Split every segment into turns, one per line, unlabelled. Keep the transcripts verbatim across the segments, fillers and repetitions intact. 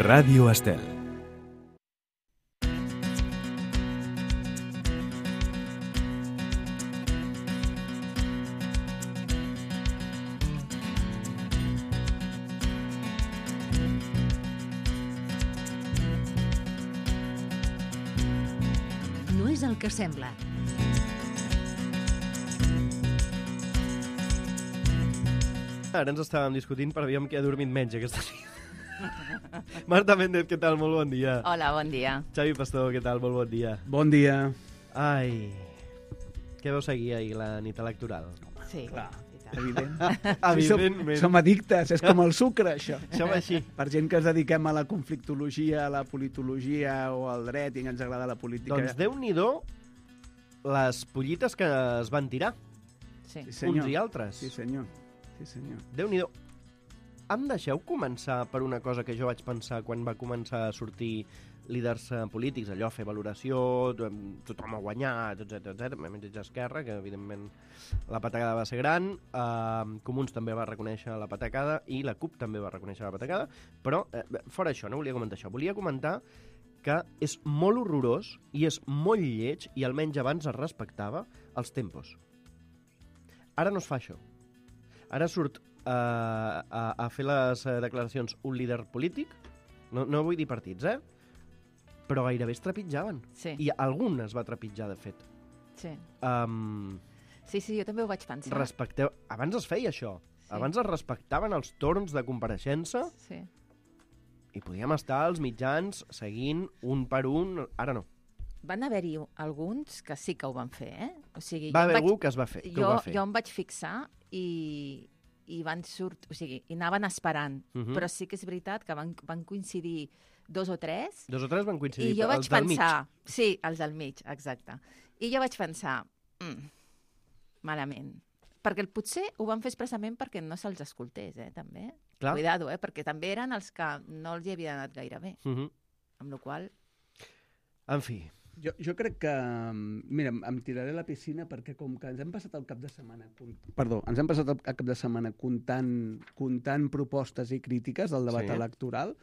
Ràdio Estel.
No és el que sembla.
Ara ens estàvem discutint per aviam qui ha dormit menys aquesta nit. Marta Méndez, què tal? Molt bon dia.
Hola, bon dia.
Xavi Pastor, què tal? Molt bon dia.
Bon dia.
Ai, què vau seguir ahir la nit electoral?
Sí,
Clar,
i tant.
evident.
Evidentment.
Som, som addictes, és com el sucre, això.
Som així.
Per gent que ens dediquem a la conflictologia, a la politologia o al dret i ens agrada la política.
Doncs Déu-n'hi-do les pollites que es van tirar,
Sí.
Sí, senyor.
uns i altres.
Sí, senyor. Sí, senyor.
Déu-n'hi-do. Em deixeu començar per una cosa que jo vaig pensar quan va començar a sortir líders eh, polítics, allò, fer valoració, to- tothom ha guanyat, etcètera, etcètera, menys Esquerra, que evidentment la patacada va ser gran, eh, Comuns també va reconèixer la patacada i la CUP també va reconèixer la patacada, però eh, fora això, no volia comentar això, volia comentar que és molt horrorós i és molt lleig, i almenys abans es respectava, els tempos. Ara no es fa això. Ara surt uh, a, a fer les uh, declaracions un líder polític, no, no vull dir partits, eh? Però gairebé es trepitjaven.
Sí.
I algun es va trepitjar, de fet.
Sí.
Um,
sí, sí, jo també ho vaig pensar.
respecteu... Abans es feia això.
Sí.
Abans es respectaven els torns de compareixença
Sí.
i podíem estar als mitjans seguint un per un. Ara no.
Van haver-hi alguns que sí que ho van fer, eh? O sigui,
Va
jo em
haver
vaig-
algú que es va fer, que
jo,
ho va fer.
Jo em vaig fixar i, i van surt, o sigui, i anaven esperant.
Mhm.
Però sí que és veritat que van, van coincidir dos o tres.
Dos o tres van coincidir.
I jo vaig
els del mig.
pensar... Sí, els del mig, exacte. I jo vaig pensar... Mm, malament. Perquè el, potser ho van fer expressament perquè no se'ls escoltés, eh, també.
Clar.
Cuidado, eh, perquè també eren els que no els hi havia anat gaire bé.
Mhm.
Amb la qual
En fi,
Jo, jo crec que... Mira, em tiraré a la piscina perquè com que ens hem passat el cap de setmana... Cont... Perdó, ens hem passat el cap de setmana comptant, comptant propostes i crítiques del debat
Sí.
sí. electoral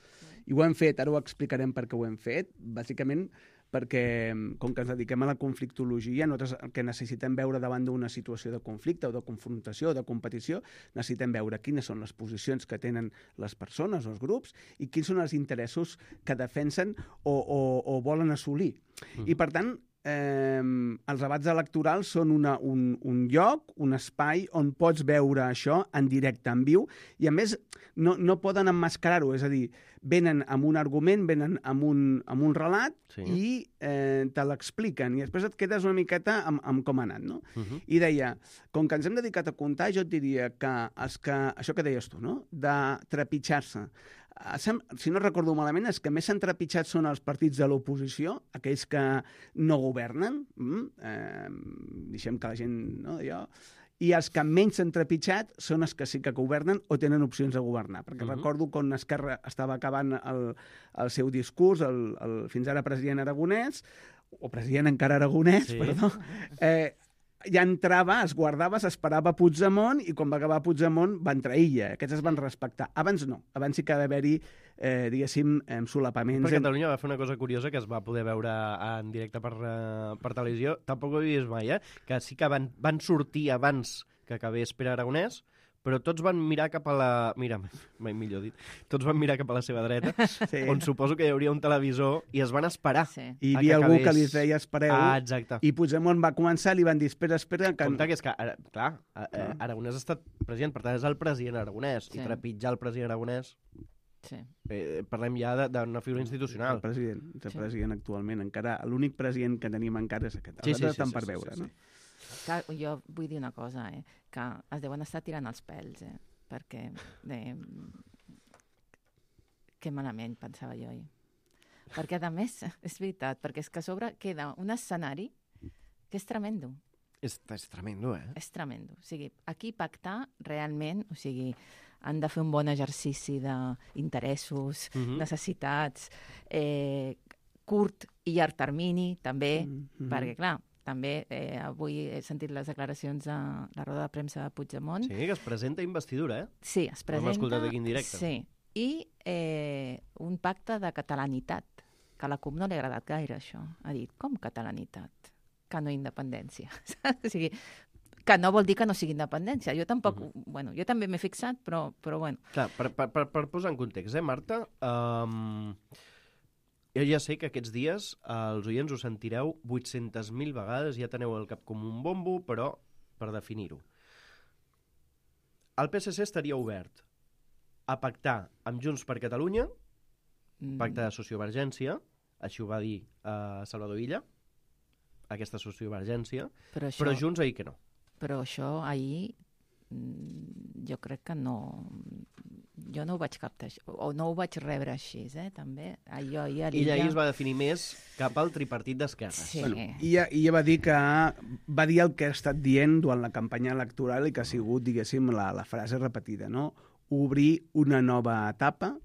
i ho hem fet, ara ho explicarem per què ho hem fet, bàsicament perquè com que ens dediquem a la conflictologia, nosaltres el que necessitem veure davant d'una situació de conflicte o de confrontació o de competició, necessitem veure quines són les posicions que tenen les persones o els grups i quins són els interessos que defensen o, o, o volen assolir. Mm. I per tant, eh, els debats electorals són una, un, un lloc, un espai on pots veure això en directe, en viu, i a més no, no poden emmascarar-ho, és a dir, venen amb un argument, venen amb un, amb un relat
Sí.
i eh, te l'expliquen i després et quedes una miqueta amb, amb com ha anat, no?
Mhm.
I deia, com que ens hem dedicat a comptar, jo et diria que, els que això que deies tu, no? De trepitjar-se. Eh, sem- Si no recordo malament, els que més s'han trepitjat són els partits de l'oposició, aquells que no governen, mm? eh, deixem que la gent... No, allò, i els que menys s'han trepitjat són els que sí que governen o tenen opcions de governar. Perquè
Mhm.
uh-huh. recordo quan Esquerra estava acabant el, el seu discurs, el, el fins ara president Aragonès, o president encara Aragonès,
Sí.
sí. perdó, eh, ja entrava, es guardava, s'esperava Puigdemont i quan va acabar Puigdemont va entrar Illa. Aquests es van respectar. Abans no. Abans sí que ha d'haver-hi, eh, diguéssim, eh, solapaments.
Per Catalunya va fer una cosa curiosa que es va poder veure en directe per, uh, per televisió. Tampoc ho he vist mai, eh? Que sí que van, van sortir abans que acabés Pere Aragonès, però tots van mirar cap a la... Mira, mai millor dit. Tots van mirar cap a la seva dreta,
Sí.
on suposo que hi hauria un televisor, i es van esperar.
sí.
I hi
a
havia
que
algú que
acabés.
li deia espereu,
Ah, exacte.
i Puigdemont va començar, li van dir espera, espera, que...
Compte que és que, ara, clar, eh, eh, Aragonès ha estat president, per tant és el president Aragonès,
Sí.
i trepitjar el president Aragonès,
Sí.
eh, parlem ja de- d'una figura institucional.
El president, el
Sí.
president actualment. Encara l'únic president que tenim encara és aquest.
Sí,
Els
sí,
altres
sí,
estan
sí,
per
sí,
veure,
sí,
no?
sí.
Clar, jo vull dir una cosa, eh? Que es deuen estar tirant els pèls, eh? Perquè... Eh, que malament, pensava jo ahir. Perquè, a més, és veritat, perquè és que a sobre queda un escenari que és tremendo.
És, és tremendo, eh?
És tremendo. O sigui, aquí pactar realment, o sigui, han de fer un bon exercici d'interessos,
Mhm.
necessitats, eh, curt i llarg termini, també,
Mhm.
perquè, clar, també eh, avui he sentit les declaracions de la roda de premsa de Puigdemont.
Sí, que es presenta investidura, eh?
Sí, es presenta...
escoltat aquí en directe.
Sí, i eh, un pacte de catalanitat, que a la CUP no li ha agradat gaire, això. Ha dit, com catalanitat? Que no independència. O sigui, que no vol dir que no sigui independència. Jo tampoc, uh -huh. bueno, jo també m'he fixat, però, però bueno.
Clar, per, per, per, per posar en context, eh, Marta? Um, jo ja sé que aquests dies eh, els oients ho sentireu vuit-centes mil vegades, ja teniu el cap com un bombo, però per definir-ho. El P S C estaria obert a pactar amb Junts per Catalunya, mm. pacte de sociovergència, així ho va dir eh, Salvador Illa, aquesta sociovergència, però, això... però Junts ahir que no.
Però això ahir jo crec que no... Jo no ho vaig captar, o no ho vaig rebre així, eh, també. Ahir, ahir,
Ella ahir es va definir més cap al tripartit d'esquerres.
Sí.
Bueno, ella, ella va dir que va dir el que ha estat dient durant la campanya electoral i que ha sigut, diguéssim, la, la frase repetida, no? Obrir una nova etapa.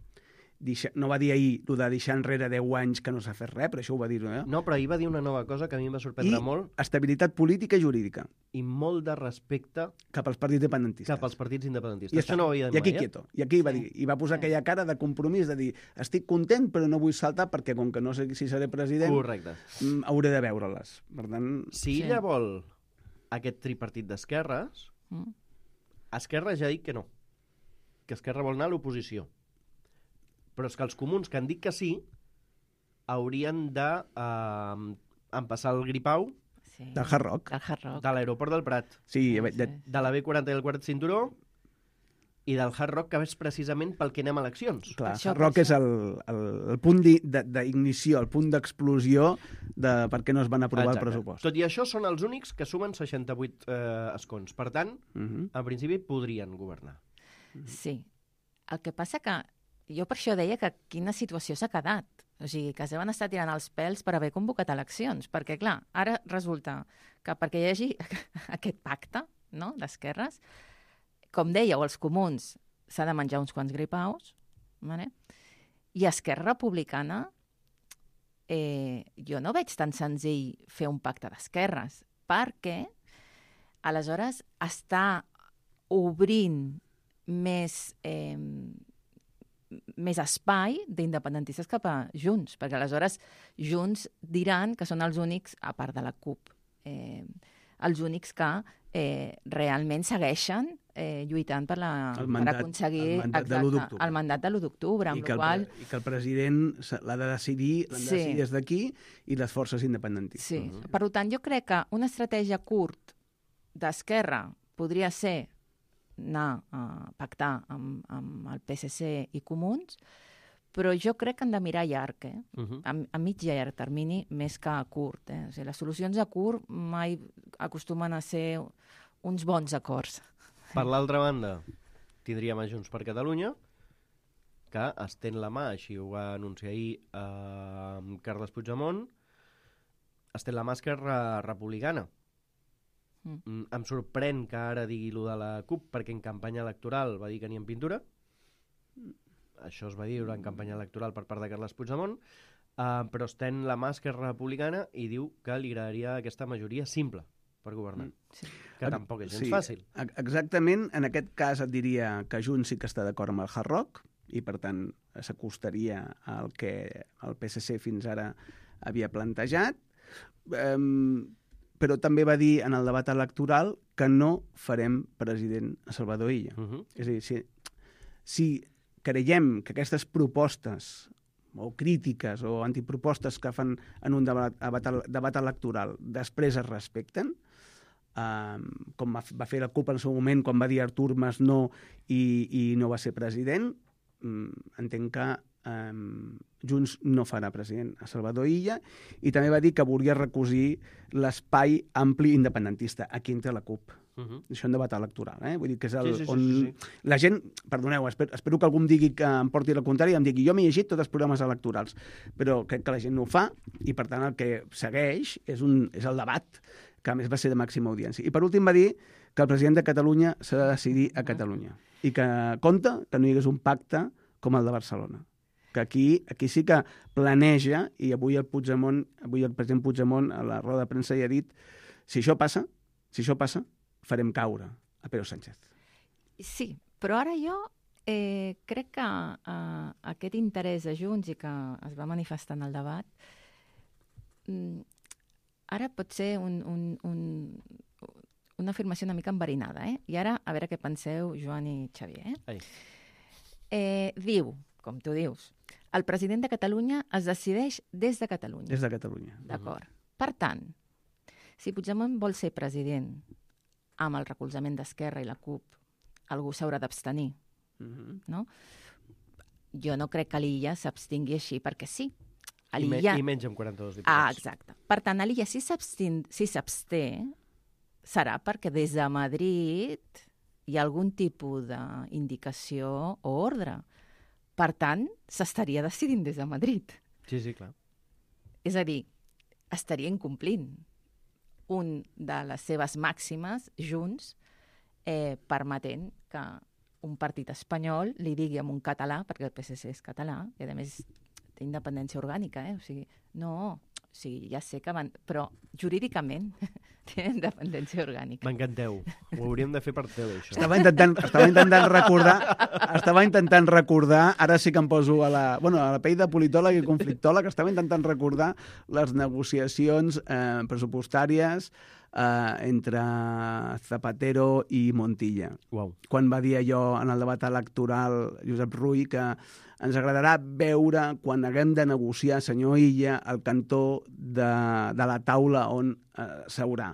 Deixa, no va dir ahir el de deixar enrere deu anys que no s'ha fet res, però això ho va dir, no?
No, però ahir va dir una nova cosa que a mi em va sorprendre
I
molt.
Estabilitat política i jurídica.
I molt de respecte
cap als partits independentistes.
Cap als partits independentistes.
I
això no ho havia dit
I aquí
mai,
quieto. I aquí
sí.
va dir, i va posar sí. aquella cara de compromís, de dir, estic content però no vull saltar perquè com que no sé si seré president,
correcte,
hauré de veure-les. Per tant...
Si sí. ella vol aquest tripartit d'esquerres, mm. Esquerra ja ha dit que no. Que Esquerra vol anar a l'oposició. Però és que els comuns que han dit que sí haurien de eh, empassar el gripau
sí.
del Hard Rock,
del Hard Rock.
de l'aeroport del Prat,
sí,
sí,
de,
sí.
de la B quaranta i el quart cinturó i del Hard Rock, que és precisament pel que anem a eleccions.
Clar,
això,
Hard Rock és el, el, el punt d'ignició, el punt d'explosió de per què no es van aprovar
Exacte.
el pressupost.
Tot i això són els únics que sumen seixanta-vuit eh, escons. Per tant, uh -huh. en principi podrien governar.
Sí. El que passa que jo per això deia que quina situació s'ha quedat. O sigui, que es deuen estar tirant els pèls per haver convocat eleccions. Perquè, clar, ara resulta que perquè hi hagi aquest pacte, no?, d'esquerres, com dèieu, els comuns s'ha de menjar uns quants gripaus, vale? I Esquerra Republicana, eh, jo no veig tan senzill fer un pacte d'esquerres, perquè aleshores està obrint més... Eh, més espai d'independentistes cap a Junts, perquè aleshores Junts diran que són els únics, a part de la CUP, eh, els únics que eh, realment segueixen eh, lluitant per, la,
mandat,
per aconseguir
el mandat
exacte,
de l'u d'octubre.
el mandat de l'u d'octubre, amb
I que,
qual...
el, I que el president l'ha de decidir, l'han de
Sí.
decidir des d'aquí i les forces independentistes.
Sí. Uh-huh. Per tant, jo crec que una estratègia curt d'Esquerra podria ser anar a pactar amb, amb el P S C i Comuns, però jo crec que han de mirar llarg, eh?
Uh-huh.
a, a mig i llarg termini, més que a curt. Eh? O sigui, les solucions a curt mai acostumen a ser uns bons acords.
Per l'altra banda, tindríem a Junts per Catalunya, que estén la mà, així ho va anunciar ahir eh, Carles Puigdemont, estén la mà Esquerra Republicana. Mm. Em sorprèn que ara digui lo de la CUP, perquè en campanya electoral va dir que ni en pintura. Això es va dir en campanya electoral per part de Carles Puigdemont, uh, però estén la mà Esquerra Republicana i diu que li agradaria aquesta majoria simple per governar. Mm. Sí. Que
Ex
tampoc és gens
sí,
fàcil.
Exactament, en aquest cas et diria que Junts sí que està d'acord amb el Hard Rock i, per tant, s'acostaria al que el P S C fins ara havia plantejat. Um, però també va dir en el debat electoral que no farem president a Salvador Illa. Uh -huh. És a dir, si, si creiem que aquestes propostes o crítiques o antipropostes que fan en un debat, debat, debat electoral després es respecten, um, com va, va fer la CUP en el seu moment quan va dir Artur Mas no i, i no va ser president, um, entenc que Um, Junts no farà president a Salvador Illa, i també va dir que volia recosir l'espai ampli independentista. Aquí entra la CUP. Uh -huh. Això en debat electoral, eh? Vull dir que és el,
sí, sí,
on
sí, sí.
la gent... Perdoneu, espero, espero que algú em digui que em porti la contrària i em digui jo m'he llegit tots els programes electorals, però crec que la gent no ho fa i, per tant, el que segueix és, un, és el debat, que a més va ser de màxima audiència. I per últim va dir que el president de Catalunya s'ha de decidir a Catalunya i que compta que no hi hagués un pacte com el de Barcelona. Que aquí, aquí sí que planeja, i avui el Puigdemont, avui el president Puigdemont a la roda de premsa ja ha dit, si això passa, si això passa, farem caure a Pedro Sánchez.
Sí, però ara jo eh, crec que eh, aquest interès de Junts i que es va manifestar en el debat mm, ara pot ser un, un, un, una afirmació una mica enverinada, eh? I ara, a veure què penseu, Joan i Xavier. Eh? Eh, diu, com tu dius, el president de Catalunya es decideix des de Catalunya.
Des de Catalunya.
D'acord. Per tant, si Puigdemont vol ser president amb el recolzament d'Esquerra i la CUP, algú s'haurà d'abstenir,
Uh-huh.
no? Jo no crec que l'Illa s'abstingui així perquè sí.
I, me, I menys amb quaranta-dos diputats.
Ah, exacte. Per tant, l'Illa, si s'abstin, si s'absté, serà perquè des de Madrid hi ha algun tipus d'indicació o ordre. Per tant, s'estaria decidint des de Madrid.
Sí, sí, clar.
És a dir, estaria incomplint un de les seves màximes, Junts, eh, permetent que un partit espanyol li digui en un català, perquè el P S C és català, i a més té independència orgànica, eh? O sigui, no, o sigui, ja sé que van... Però jurídicament té independència orgànica.
M'encanteu. Ho hauríem de fer per tele, això.
Estava intentant, estava intentant recordar, estava intentant recordar, ara sí que em poso a la, bueno, a la pell de politòleg i conflictòleg, estava intentant recordar les negociacions eh, pressupostàries Uh, entre Zapatero i Montilla.
Uau.
Quan va dir allò en el debat electoral Josep Rull que ens agradarà veure quan haguem de negociar, senyor Illa, el cantó de, de la taula on uh, seurà.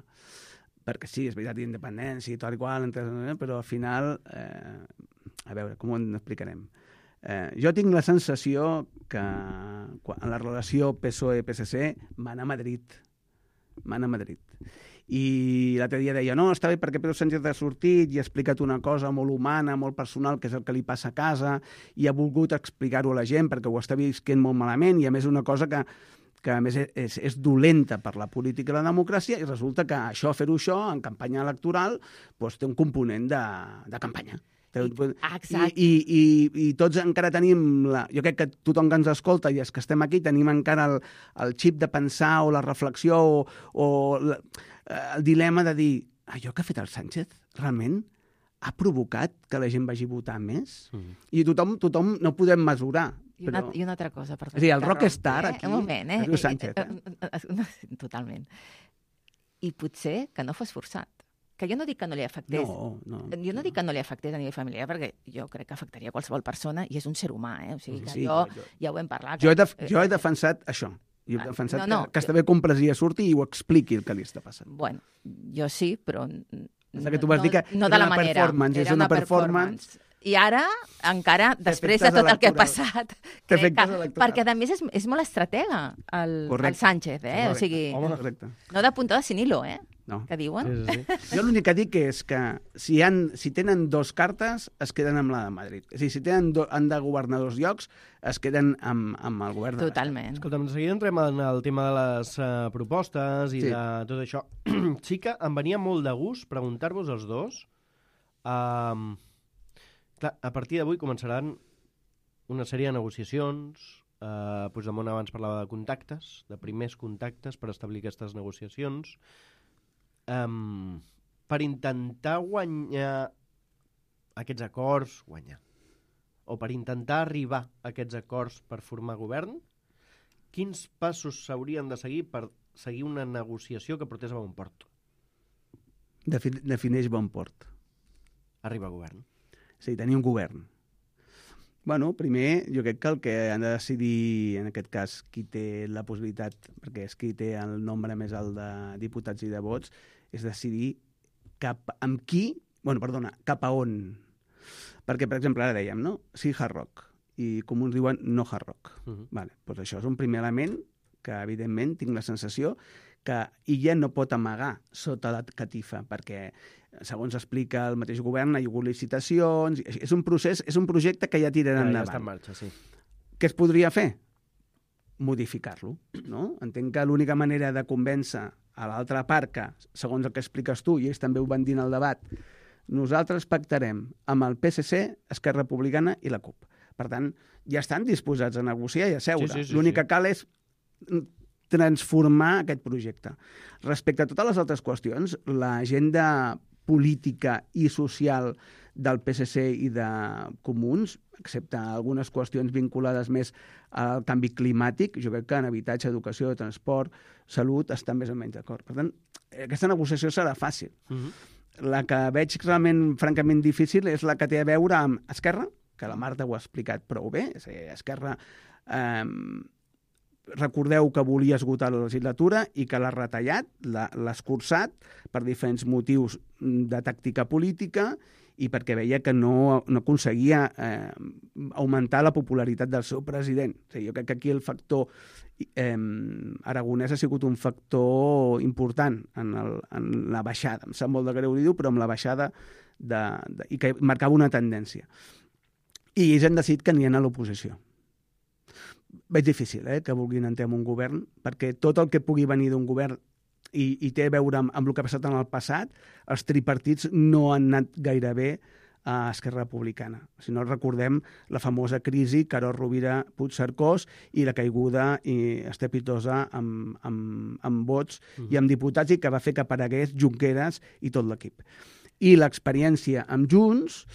Perquè sí, és veritat, independència i tot igual, però al final, eh, a veure, com ho explicarem? Eh, jo tinc la sensació que en la relació P S O E P S C mana a Madrid. Mana a Madrid. I l'altre dia deia, no, està bé perquè Pedro Sánchez ha sortit i ha explicat una cosa molt humana, molt personal, que és el que li passa a casa, i ha volgut explicar-ho a la gent perquè ho està visquent molt malament, i a més una cosa que, que a més és, és dolenta per la política i la democràcia, i resulta que això, fer-ho això, en campanya electoral, doncs té un component de, de campanya.
Exacte.
I, i, i, i tots encara tenim, la, jo crec que tothom que ens escolta i els que estem aquí tenim encara el, el xip de pensar o la reflexió o, o la, el dilema de dir, allò que ha fet el Sánchez realment ha provocat que la gent vagi a votar més? Mm. I tothom, tothom no podem mesurar.
I una,
però...
I una altra cosa. Per
és a dir, el rockstar
eh?
aquí
Un moment, eh?
es diu Sánchez. Eh?
Totalment. I potser que no fos forçat. Que jo no dic que no li afectés.
No, no.
Jo no dic que no li afectés a nivell familiar, perquè jo crec que afectaria qualsevol persona i és un ser humà, eh? O sigui, que
sí,
jo,
jo,
ja ho hem parlat.
Jo he,
que,
de, jo he defensat això. Jo he defensat
no, no,
que, que està bé que un president surti i ho expliqui el que li està passant.
Bueno, jo sí, però...
No, que tu vas
no,
dir que
no
era
de la
una
manera.
performance,
era
és una,
una
performance...
performance. I ara, encara, després de tot el que ha passat, crec que, perquè a més és, és molt estratega el, el Sánchez, eh?
Correcte.
O sigui,
Correcte.
No de puntada sin hilo, eh?
No.
Que diuen?
Sí, sí, sí.
Jo l'únic que dic és que si, han, si tenen dos cartes, es queden amb la de Madrid. És a dir, si tenen do, han de governar dos llocs, es queden amb, amb el govern de
Totalment.
Escolta'm, de seguida entrem en el tema de les uh, propostes i
sí.
de tot això. Sí que em venia molt de gust preguntar-vos els dos. Um, clar, a partir d'avui començaran una sèrie de negociacions. Uh, Puigdemont abans parlava de contactes, de primers contactes per establir aquestes negociacions. Um, per intentar guanyar aquests acords, guanyar, o per intentar arribar a aquests acords per formar govern, quins passos s'haurien de seguir per seguir una negociació que portés a bon port?
Defi- defineix bon port.
Arribar a govern.
És a dir, tenir un govern. Bueno, primer, jo crec que el que han de decidir, en aquest cas, qui té la possibilitat, perquè és qui té el nombre més alt de diputats i de vots, és decidir cap amb qui, bueno, perdona, cap a on. Perquè, per exemple, ara dèiem, no? Sí, hard rock. I comuns diuen no hard rock.
Uh-huh.
Vale, doncs això és un primer element que, evidentment, tinc la sensació que ella no pot amagar sota la catifa, perquè, segons explica el mateix govern, hi ha hagut licitacions... És un procés, és un projecte que ja tirarà
Ja,
endavant.
ja està en marxa, sí.
Què es podria fer? Modificar-lo, no? Entenc que l'única manera de convèncer a l'altra part que, segons el que expliques tu, i ells també ho van dir en el debat, nosaltres pactarem amb el P S C, Esquerra Republicana i la CUP. Per tant, ja estan disposats a negociar i a seure.
Sí, sí, sí,
L'únic
sí.
que cal és transformar aquest projecte. Respecte a totes les altres qüestions, l'agenda política i social del P S C i de Comuns, excepte algunes qüestions vinculades més al canvi climàtic. Jo crec que en habitatge, educació, transport, salut, estan més o menys d'acord. Per tant, aquesta negociació serà fàcil. Uh-huh. La que veig realment, francament difícil, és la que té a veure amb Esquerra, que la Marta ho ha explicat prou bé. És a dir, Esquerra, eh, recordeu que volia esgotar la legislatura i que l'ha retallat, l'ha escurçat per diferents motius de tàctica política i perquè veia que no, no aconseguia eh, augmentar la popularitat del seu president. O sigui, jo crec que aquí el factor eh, aragonès ha sigut un factor important en, el, en la baixada. Em sap molt de greu dir-ho, però amb la baixada de, de, i que marcava una tendència. I ells han decidit que aniran a l'oposició. Veig difícil eh, que vulguin entrar en un govern, perquè tot el que pugui venir d'un govern i, i té a veure amb, amb el que ha passat en el passat, els tripartits no han anat gaire bé a Esquerra Republicana. Si no recordem la famosa crisi Carod Rovira Puigcercós i la caiguda i estrepitosa amb, amb, amb vots uh-huh. i amb diputats i que va fer que aparegués Junqueras i tot l'equip. I l'experiència amb Junts,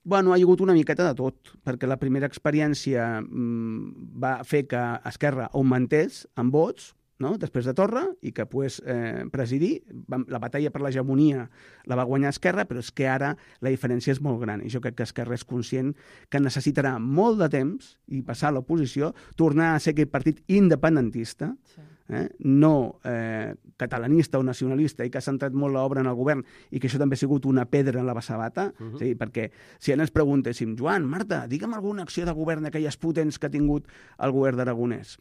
bueno, ha hagut una miqueta de tot, perquè la primera experiència mmm, va fer que Esquerra augmentés amb vots, no? Després de Torra, i que pogués eh, presidir. La batalla per l'hegemonia la va guanyar Esquerra, però és que ara la diferència és molt gran. I jo crec que Esquerra és conscient que necessitarà molt de temps i passar a l'oposició, tornar a ser aquest partit independentista, sí. eh? no eh, catalanista o nacionalista, i que ha centrat molt l'obra en el govern, i que això també ha sigut una pedra en la sabata, uh-huh. sí, perquè si ara ens preguntéssim, Joan, Marta, digue'm alguna acció de govern d'aquelles potents que ha tingut el govern d'Aragonès.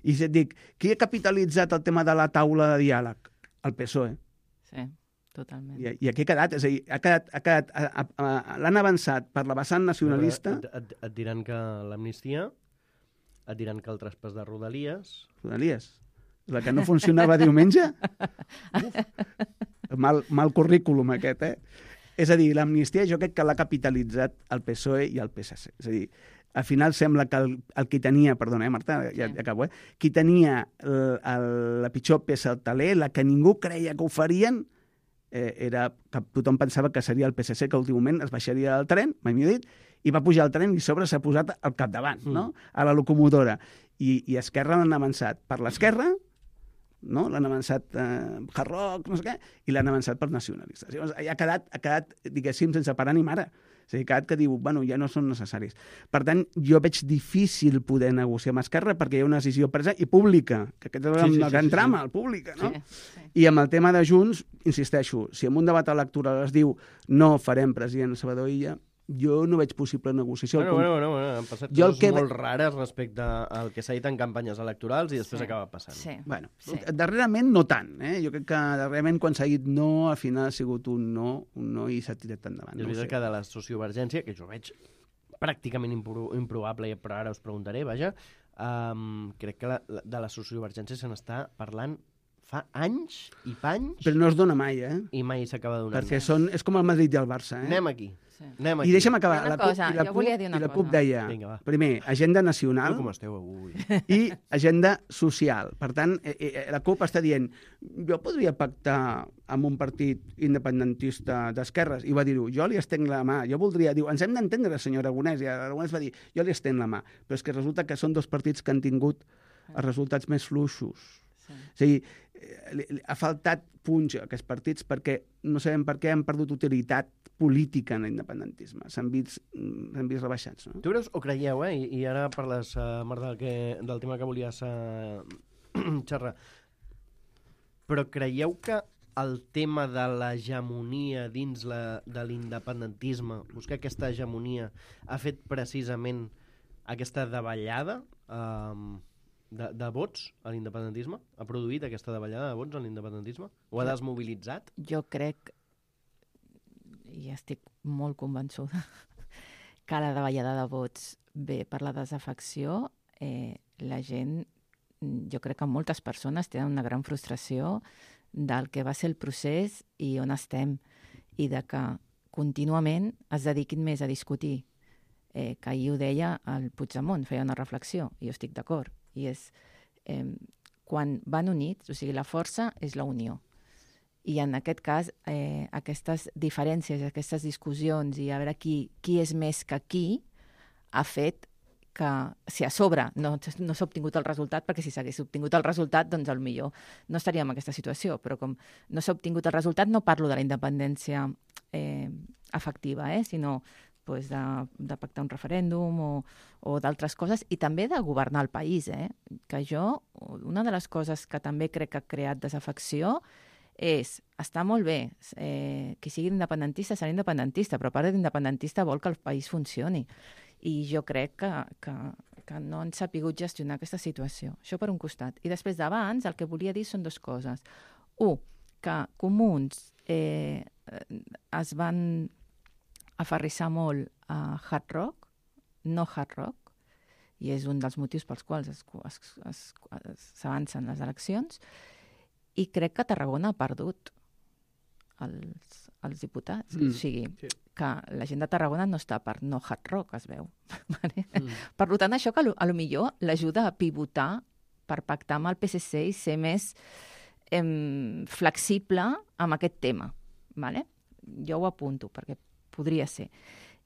I si et dic, qui ha capitalitzat el tema de la taula de diàleg? El P S O E.
Sí, totalment.
I, i aquí ha quedat, és a dir, ha quedat, ha quedat, l'han avançat per la vessant nacionalista.
Et, et, et diran que l'amnistia, et diran que el traspàs de Rodalies...
Rodalies? La que no funcionava diumenge? Uf, mal, mal currículum aquest, eh? És a dir, l'amnistia jo crec que l'ha capitalitzat el P S O E i el P S C. És a dir, al final sembla que el, el qui tenia, perdona, eh, Marta, ja, ja acabo, eh? Qui tenia el, el, la pitjor peça al taler, la que ningú creia que ho farien, eh, era que tothom pensava que seria el P S C, que últimament es baixaria del tren, mai millor dit, i va pujar al tren i a sobre s'ha posat al capdavant, mm. no? A la locomotora. I, i Esquerra l'han avançat per l'esquerra, no? L'han avançat eh, Hard Rock, no sé què, i l'han avançat per nacionalistes. Llavors, ha quedat, ha quedat, diguéssim, sense parar ni mare. És a dir, que diu, bueno, ja no són necessaris. Per tant, jo veig difícil poder negociar amb Esquerra perquè hi ha una decisió presa i pública, que aquest és sí, sí, el gran sí, trama, sí. el pública, no? Sí, sí. I amb el tema de Junts, insisteixo, si en un debat electoral es diu no farem president Salvador Illa, jo no veig possible negociació.
Bueno, bueno, bueno, bueno, han passat jo coses que... molt rares respecte al que s'ha dit en campanyes electorals i després sí. acaba passant.
Sí.
Bueno,
sí.
darrerament no tant, eh? Jo crec que darrerament quan s'ha dit no, al final ha sigut un no, un no i s'ha tirat endavant.
És veritat no que de la sociovergència, que jo veig pràcticament impro improbable, però ara us preguntaré, vaja, um, crec que la, la, de la sociovergència se n'està parlant fa anys i panys...
Però no es dona mai, eh?
I mai s'acaba donant.
Perquè són, és com el Madrid i el Barça, eh?
Anem aquí.
Sí.
Anem aquí.
I deixa'm acabar.
Una
la CUP,
cosa,
i la
jo volia dir una
i la
cosa.
CUP deia,
Vinga,
primer, agenda nacional
com esteu avui?
i agenda social. Per tant, eh, eh, la CUP està dient jo podria pactar amb un partit independentista d'esquerres, i va dir-ho, jo li estenc la mà, jo voldria, diu, ens hem d'entendre, senyor Aragonès, i Aragonès va dir, jo li estenc la mà, però és que resulta que són dos partits que han tingut els resultats més fluixos. Sí. És a dir, ha faltat punx a aquests partits perquè no sabem per què han perdut utilitat política en l'independentisme. S'han vist, s'han vist rebaixats. No?
Tu creus o creieu, eh? I, i ara parles, uh, Marta, del, que, del tema que volies uh, xerrar, però creieu que el tema de l'hegemonia dins la, de l'independentisme, buscar aquesta hegemonia, ha fet precisament aquesta davallada um, De, de vots a l'independentisme? Ha produït aquesta davallada de vots a l'independentisme? O ha desmobilitzat?
Jo crec, i estic molt convençuda, que la davallada de vots ve per la desafecció. Eh, la gent, jo crec que moltes persones tenen una gran frustració del que va ser el procés i on estem, i de que contínuament es dediquin més a discutir. Eh, que ahir ho deia el Puigdemont, feia una reflexió, i jo estic d'acord. I és, eh, quan van units, o sigui, la força és la unió. I en aquest cas, eh, aquestes diferències, aquestes discussions i a veure qui, qui és més que qui, ha fet que si a sobre no, no s'ha obtingut el resultat, perquè si s'hagués obtingut el resultat, doncs potser no estaríem en aquesta situació, però com no s'ha obtingut el resultat, no parlo de la independència eh, efectiva, eh, sinó pues, de, de pactar un referèndum o, o d'altres coses, i també de governar el país. Eh? Que jo, una de les coses que també crec que ha creat desafecció és, està molt bé, eh, qui sigui independentista serà independentista, però a part d'independentista vol que el país funcioni. I jo crec que, que, que no han sapigut gestionar aquesta situació. Això per un costat. I després d'abans el que volia dir són dues coses. Un, que Comuns eh, es van aferrissar molt a Hard Rock, no Hard Rock, i és un dels motius pels quals s'avancen les eleccions, i crec que Tarragona ha perdut els, els diputats. Mm. O sigui, sí. que la gent de Tarragona no està per no Hard Rock, es veu. Vale? Mm. Per tant, això que a lo millor l'ajuda a pivotar per pactar amb el P S C i ser més em, flexible amb aquest tema. Vale? Jo ho apunto, perquè podria ser.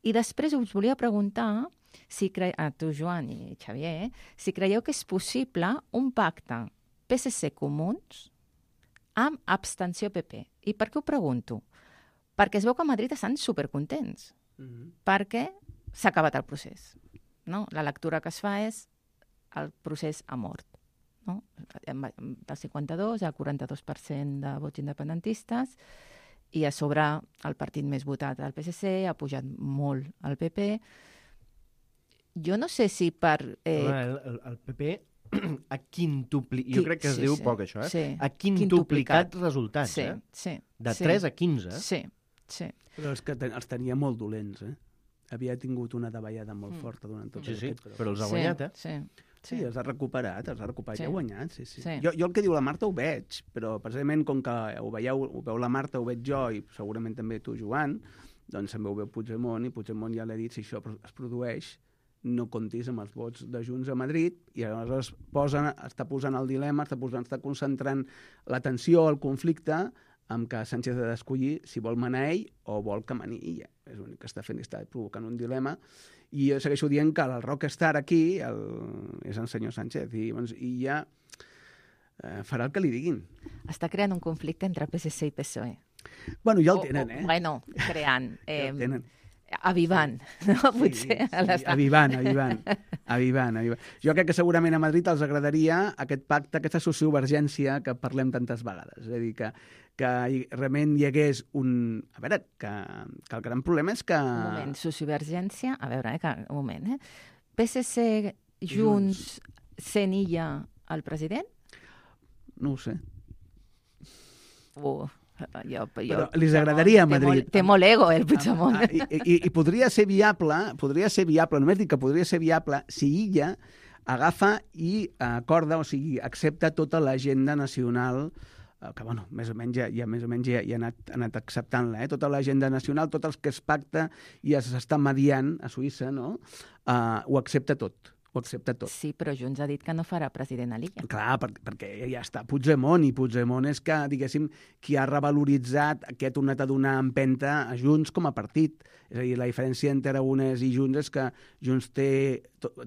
I després us volia preguntar, si cre... a tu, Joan i Xavier, si creieu que és possible un pacte P S C-Comuns amb abstenció P P. I per què ho pregunto? Perquè es veu que a Madrid estan supercontents, mm-hmm. perquè s'ha acabat el procés. No? La lectura que es fa és el procés ha mort. No? Del cinquanta-dos al quaranta-dos per cent de vots independentistes, i a sobre el partit més votat, el P S C, ha pujat molt el P P. Jo no sé si per... Eh...
El, el, el P P ha quintuplicat, jo crec que es sí, diu sí, poc això, eh?
Sí.
Ha quintuplicat, quintuplicat resultats,
sí,
eh?
Sí,
de
sí.
tres a quinze.
Sí, sí.
Però és que ten, els tenia molt dolents, eh? Havia tingut una davallada molt mm. forta durant tot
sí,
aquest...
Sí, però, però els ha guanyat,
sí,
eh?
Sí.
Sí, els ha recuperat, els ha recuperat, sí. ja ha guanyat, sí, sí.
sí.
Jo, jo el que diu la Marta ho veig, però precisament com que ho veieu, ho veu la Marta, ho veig jo, i segurament també tu, Joan, doncs també ho veu Puigdemont, i Puigdemont ja l'ha dit, si això es produeix, no comptis amb els vots de Junts a Madrid, i aleshores posen, està posant el dilema, està, posant, està concentrant l'atenció al conflicte amb que Sánchez ha d'escollir si vol manar ell o vol que mani ella. És l'únic que està fent, està provocant un dilema. I jo segueixo dient que el rockstar aquí el, és el senyor Sánchez, i, doncs, i ja eh, farà el que li diguin.
Està creant un conflicte entre P S C i P S O E.
Bueno, ja el tenen, eh?
O, bueno, creant. Eh,
ja el tenen.
Avivant, no? Potser.
Sí, sí, avivant, avivant, avivant, avivant. Jo crec que segurament a Madrid els agradaria aquest pacte, aquesta sociovergència que parlem tantes vegades. És a dir, que, que realment hi hagués un... A veure, que, que el gran problema és que...
Un moment, sociovergència... A veure, eh, que, un moment, eh? P S C, Junts, sent illa el president?
No ho sé.
Uh... Jo, jo,
però li agradaria a Madrid.
Té molt, té molt ego, el Puigdemont.
I, i, i podria ser viable, podria ser viable, només dic que podria ser viable si ella agafa i acorda, o sigui, accepta tota l'agenda nacional, que, bueno, més o menys ja, ja, més o menys ja, ja ha anat, ha anat acceptant-la, eh? Tota l'agenda nacional, tot el que es pacta i s'està mediant a Suïssa, no? Uh, ho accepta tot. Ho accepta tot.
Sí, però Junts ha dit que no farà president a l'illa.
Clar, per, perquè ja està Puigdemont, i Puigdemont és que, diguéssim, qui ha revaloritzat, qui ha tornat a donar empenta a Junts com a partit. És a dir, la diferència entre Aragonès i Junts és que Junts té,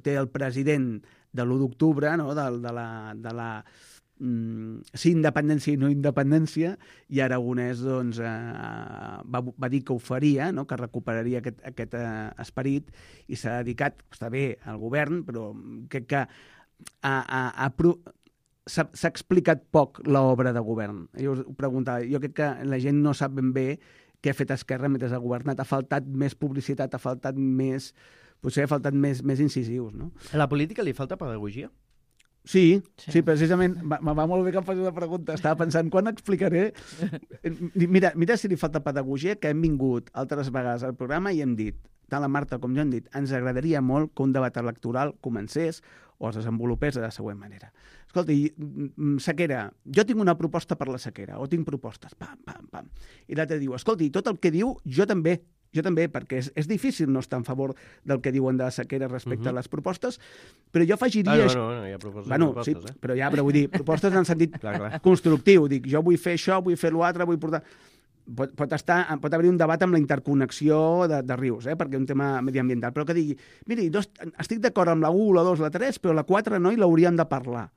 té el president de l'u d'octubre, no? de, de la... De la Mm, sí, independència i no independència, i Aragonès doncs, eh, va, va dir que ho faria, no? Que recuperaria aquest, aquest eh, esperit, i s'ha dedicat, està bé, al govern, però crec que a, a, a pro... s'ha explicat poc l'obra de govern. Jo us ho preguntava, jo crec que la gent no sap ben bé què ha fet Esquerra mentre ha governat. Ha faltat més publicitat, ha faltat més... Potser ha faltat més, més incisius, no?
A la política li falta pedagogia?
Sí, sí, sí, precisament, me va molt bé que em faci una pregunta. Estava pensant, quan explicaré... Mira, mira si li falta pedagogia, que hem vingut altres vegades al programa i hem dit, tant la Marta com jo hem dit, ens agradaria molt que un debat electoral comencés o es desenvolupés de la següent manera. Escolta, sequera, jo tinc una proposta per la sequera, o tinc propostes, pam, pam, pam. I l'altre diu, escolta, tot el que diu, jo també Jo també, perquè és, és difícil no estar en favor del que diuen de la sequera respecte uh -huh. a les propostes, però jo afegiria...
Ah, no, no, no, hi ha propostes,
bueno,
propostes
sí,
eh?
però ja, però vull dir, propostes en sentit
clar, clar.
constructiu. Dic, jo vull fer això, vull fer l'altre, vull portar... Pot, pot, estar, pot haver un debat amb la interconnexió de, de rius, eh? perquè és un tema mediambiental, però que digui, miri, no, estic d'acord amb la u, la dos, la tres, però la quatre no, i l'hauríem de parlar.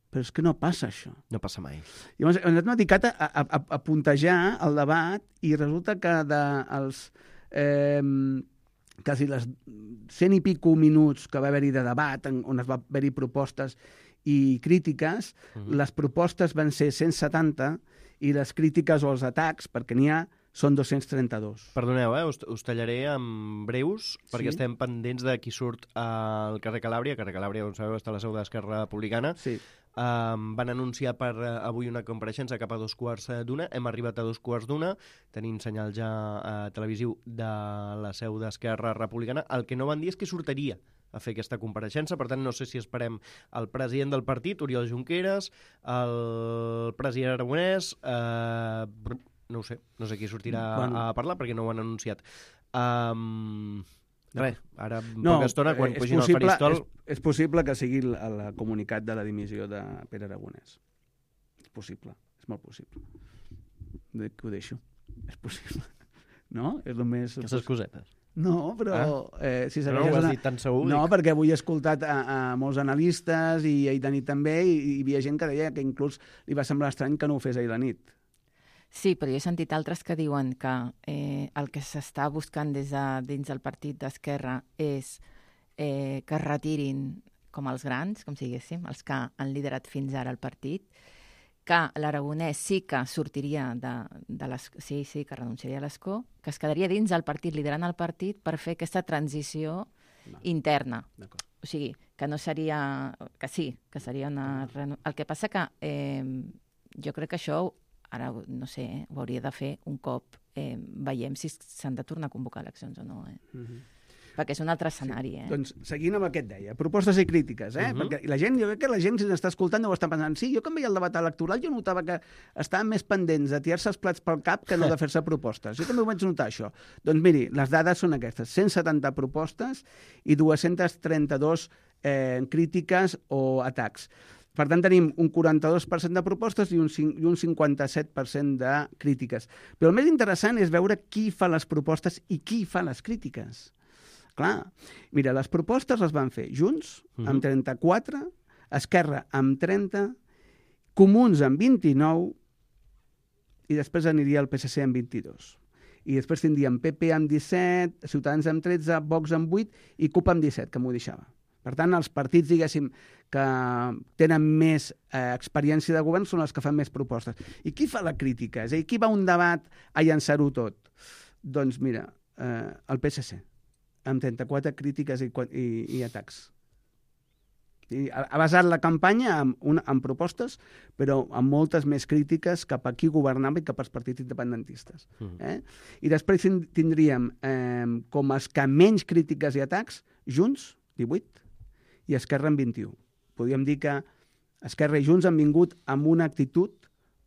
Però és que no passa això.
No passa mai.
Llavors, ens hem dedicat a, a, a, a puntejar el debat i resulta que dels eh, quasi les cent i pico minuts que va haver-hi de debat, en, on es va haver-hi propostes i crítiques, uh -huh. les propostes van ser cent setanta i les crítiques o els atacs, perquè n'hi ha, són dos-cents trenta-dos.
Perdoneu, eh? us, us tallaré amb breus, perquè
Sí.
estem pendents de qui surt al carrer Calàbria. Carrer Calàbria, com sabeu, està a la seu de l'Esquerra Republicana.
Sí.
Um, van anunciar per uh, avui una compareixença cap a dos quarts d'una. Hem arribat a dos quarts d'una. Tenim senyal ja uh, televisiu de la seu d'Esquerra Republicana. El que no van dir és que sortiria a fer aquesta compareixença, per tant no sé si esperem el president del partit, Oriol Junqueras, el president Aragonès, eh, no ho sé, no sé qui sortirà bueno. a parlar perquè no ho han anunciat. Um, res, ara en
no,
poca estona, quan
és
pugin
possible,
al faristol...
És, és possible que sigui el, el comunicat de la dimissió de Pere Aragonès. És possible, és molt possible. Que ho deixo. És possible. No? És el més...
Aquestes cosetes.
No, però... Ah. Eh, si
no, no ho has una... dit tan segur.
No,
dic.
perquè avui he escoltat a, a molts analistes i ahir de nit també, i, i hi havia gent que deia que inclús li va semblar estrany que no ho fes ahir la nit.
Sí, però jo he sentit altres que diuen que eh, el que s'està buscant des de dins del partit d'Esquerra és eh, que es retirin com els grans, com si diguéssim, els que han liderat fins ara el partit, que l'Aragonès sí que sortiria de, de l'escó, sí, sí, que renunciaria a l'escó, que es quedaria dins del partit, liderant el partit, per fer aquesta transició no. interna. O sigui, que no seria... que sí, que seria una... El que passa que eh, jo crec que això, ara no sé, eh, ho hauria de fer un cop eh, veiem si s'han de tornar a convocar eleccions o no, eh? Uh-huh. Perquè és un altre escenari,
sí.
eh?
Doncs seguint amb el que et deia, propostes i crítiques, eh? Uh-huh. Perquè la gent, jo crec que la gent, si n'està escoltant, no ho està pensant. Sí, jo quan veia el debat electoral jo notava que estaven més pendents de tirar-se els plats pel cap que no de fer-se propostes. Jo també ho vaig notar, això. Doncs miri, les dades són aquestes. cent setanta propostes i dos-cents trenta-dos eh, crítiques o atacs. Per tant, tenim un quaranta-dos per cent de propostes i un, i un cinquanta-set per cent de crítiques. Però el més interessant és veure qui fa les propostes i qui fa les crítiques. Clar, mira, les propostes les van fer Junts, uh-huh. amb trenta-quatre, Esquerra, amb trenta, Comuns, amb vint-i-nou, i després aniria el P S C amb vint-i-dos. I després tindríem P P amb disset, Ciutadans amb tretze, Vox amb vuit i CUP amb disset, que m'ho deixava. Per tant, els partits, diguéssim, que tenen més eh, experiència de govern són els que fan més propostes. I qui fa la crítica? És a dir, qui va a un debat a llançar-ho tot? Doncs mira, eh, el P S C, amb trenta-quatre crítiques i, i, i atacs. I ha, ha basat la campanya en, una, en propostes, però amb moltes més crítiques cap a qui governava i cap als partits independentistes. Mm. Eh? I després tindríem eh, com els que menys crítiques i atacs, Junts, divuit, i Esquerra amb vint-i-u. Podríem dir que Esquerra i Junts han vingut amb una actitud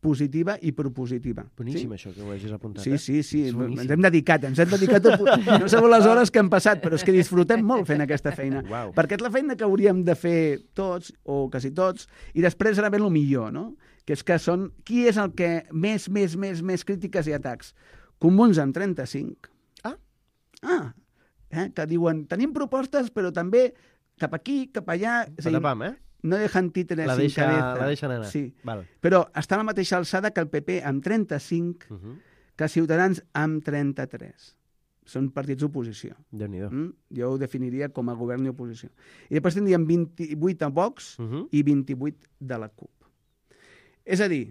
positiva i propositiva.
Boníssim,
sí?
Això, que ho hagis apuntat.
Sí,
eh?
sí, sí. Ens hem dedicat, ens hem dedicat a... No sabeu les hores que hem passat, però és que disfrutem molt fent aquesta feina.
Wow.
Perquè és la feina que hauríem de fer tots, o quasi tots, i després ara ve el millor, no? Que és que són... Qui és el que més, més, més, més crítiques i atacs? Comuns amb trenta-cinc.
Ah.
Ah. Eh? Que diuen, tenim propostes, però també cap aquí, cap allà...
Patapam, eh?
No dejan títeres
la
sin
deixa,
cabeza.
La deixen anar.
Sí.
Val.
Però està a la mateixa alçada que el P P amb trenta-cinc, uh-huh. que Ciutadans amb trenta-tres. Són partits d'oposició.
Déu-n'hi-do.
Mm? Jo ho definiria com a govern i oposició. I després tindríem vint-i-vuit a Vox uh-huh. i vint-i-vuit de la CUP. És a dir,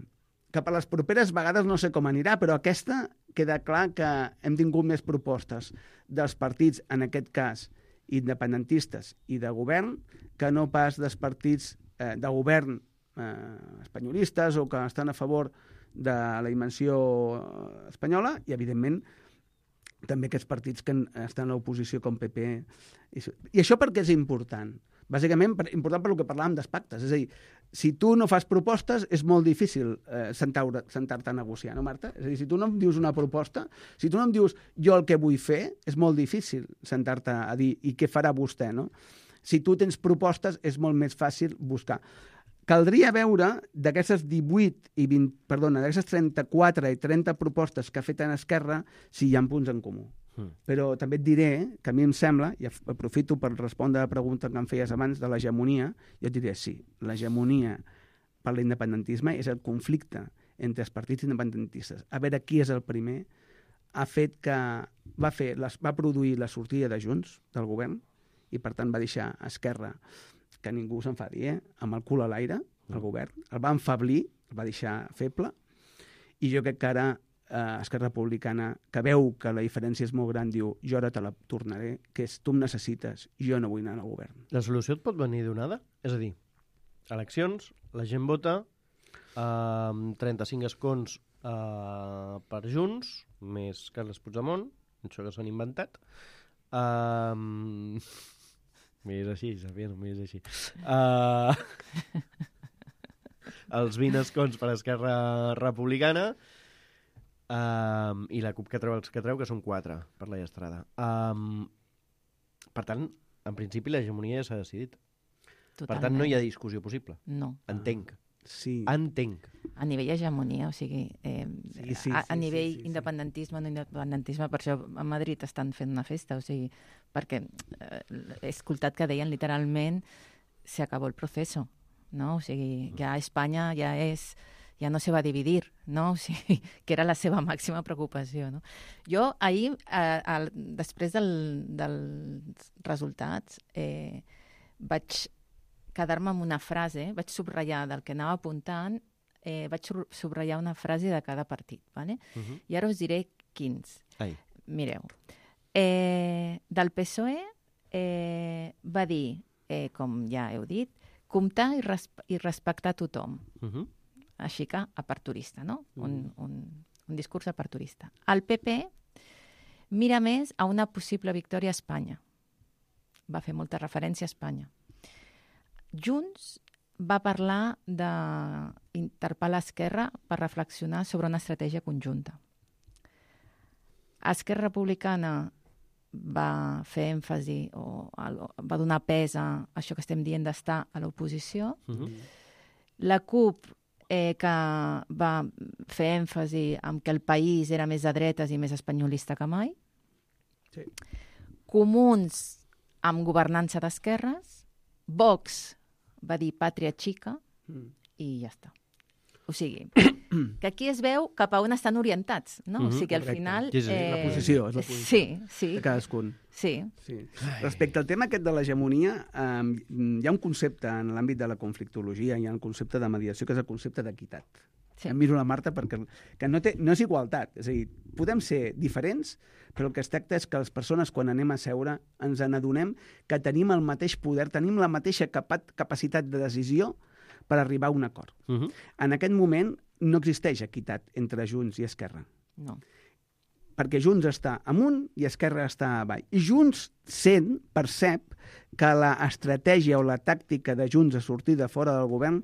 que per les properes vegades no sé com anirà, però aquesta queda clar que hem tingut més propostes dels partits, en aquest cas, independentistes i de govern, que no pas dels partits eh, de govern eh, espanyolistes o que estan a favor de la dimensió espanyola i, evidentment, també aquests partits que estan a l'oposició com P P. I, I això per què és important? Bàsicament, per, important per lo que parlàvem dels pactes. És a dir, si tu no fas propostes, és molt difícil eh, sentar-te sentar a negociar, no, Marta? És a dir, si tu no em dius una proposta, si tu no em dius jo el que vull fer, és molt difícil sentar-te a dir i què farà vostè, no? Si tu tens propostes, és molt més fàcil buscar. Caldria veure d'aquestes divuit i vint, perdona, d'aquestes trenta-quatre i trenta propostes que ha fet en Esquerra, si hi ha punts en comú. Mm. Però també et diré que a mi em sembla, i aprofito per respondre a la pregunta que em feies abans de l'hegemonia, jo et diré sí, l'hegemonia per l'independentisme és el conflicte entre els partits independentistes. A veure qui és el primer, ha fet que va, fer, les, va produir la sortida de Junts del govern i per tant va deixar Esquerra, que ningú s'enfadi, eh? amb el cul a l'aire, el govern, el va enfablir, el va deixar feble, i jo crec que ara eh, Esquerra Republicana, que veu que la diferència és molt gran, diu, jo ara te la tornaré, que és, tu em necessites, jo no vull anar al govern.
La solució et pot venir donada? És a dir, eleccions, la gent vota, eh, trenta-cinc escons eh, per Junts, més Carles Puigdemont, això que s'han inventat. Eh, M'és així, Xavier, m'és així. Uh, els vint escons per Esquerra Republicana um, i la CUP que treu els que treu, que són quatre per la Estrada. Um, per tant, en principi l'hegemonia ja s'ha decidit.
Totalment.
Per tant, no hi ha discussió possible.
No.
Entenc.
Sí.
Entenc.
A nivell hegemonia, o sigui, eh,
sí, sí,
a, a
sí,
nivell
sí, sí, sí.
independentisme, no independentisme, per això a Madrid estan fent una festa, o sigui, perquè eh, he escoltat que deien literalment se acabó el proceso, no? O sigui, ja Espanya ja és, ja no se va dividir, no? O sigui, que era la seva màxima preocupació, no? Jo ahir, eh, al, després del, dels resultats, eh, vaig quedar-me amb una frase, vaig subratllar del que anava apuntant, eh, vaig subratllar una frase de cada partit, ¿vale? Uh-huh. I ara us diré quins.
Ai.
Mireu, eh, del P S O E eh, va dir, eh, com ja heu dit, comptar i, resp i respectar tothom. Uh-huh. Així que aperturista, no? Uh-huh. un, un, un discurs aperturista. El P P mira més a una possible victòria a Espanya. Va fer molta referència a Espanya. Junts va parlar d'interpel·lar Esquerra per reflexionar sobre una estratègia conjunta. Esquerra Republicana va fer èmfasi o va donar pes a això que estem dient d'estar a l'oposició. Uh-huh. La CUP, eh, que va fer èmfasi en que el país era més de dretes i més espanyolista que mai. Sí. Comuns amb governança d'esquerres. Vox va dir pàtria xica mm. i ja està. O sigui, que aquí es veu cap a on estan orientats, no? Mm-hmm, o sigui, al correcte. Final...
Sí, sí, eh... la posició, és la posició.
Sí, sí.
De cadascun.
Sí.
sí. Respecte al tema aquest de l'hegemonia, eh, hi ha un concepte en l'àmbit de la conflictologia, hi ha un concepte de mediació, que és el concepte d'equitat. Sí. Em miro la Marta perquè que no, té, no és igualtat. És a dir, podem ser diferents, però el que es tracta és que les persones, quan anem a seure, ens n'adonem que tenim el mateix poder, tenim la mateixa capa capacitat de decisió per arribar a un acord. Uh-huh. En aquest moment no existeix equitat entre Junts i Esquerra. No. Perquè Junts està amunt i Esquerra està avall. I Junts sent, percep, que l'estratègia o la tàctica de Junts a sortir de fora del govern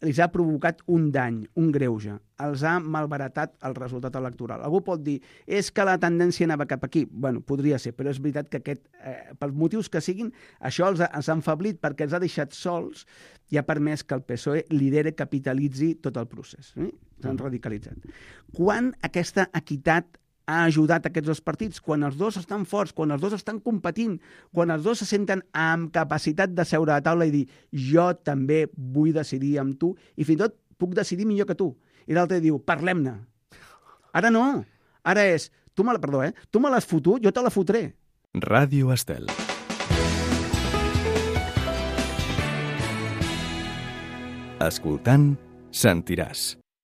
els ha provocat un dany, un greuge. Els ha malbaratat el resultat electoral. Algú pot dir, és que la tendència anava cap aquí. Bueno, podria ser, però és veritat que aquest, eh, pels motius que siguin, això els ha, els ha enfablit perquè els ha deixat sols i ha permès que el P S O E lideri, capitalitzi tot el procés. Eh? S'han radicalitzat. Quan aquesta equitat ha ajudat aquests dos partits? Quan els dos estan forts, quan els dos estan competint, quan els dos se senten amb capacitat de seure a la taula i dir jo també vull decidir amb tu i fins i tot puc decidir millor que tu. I l'altre diu, parlem-ne. Ara no. Ara és, tu me la, perdó, eh? Tu me l'has fotut, jo te la fotré.
Ràdio Estel. Escoltant, sentiràs.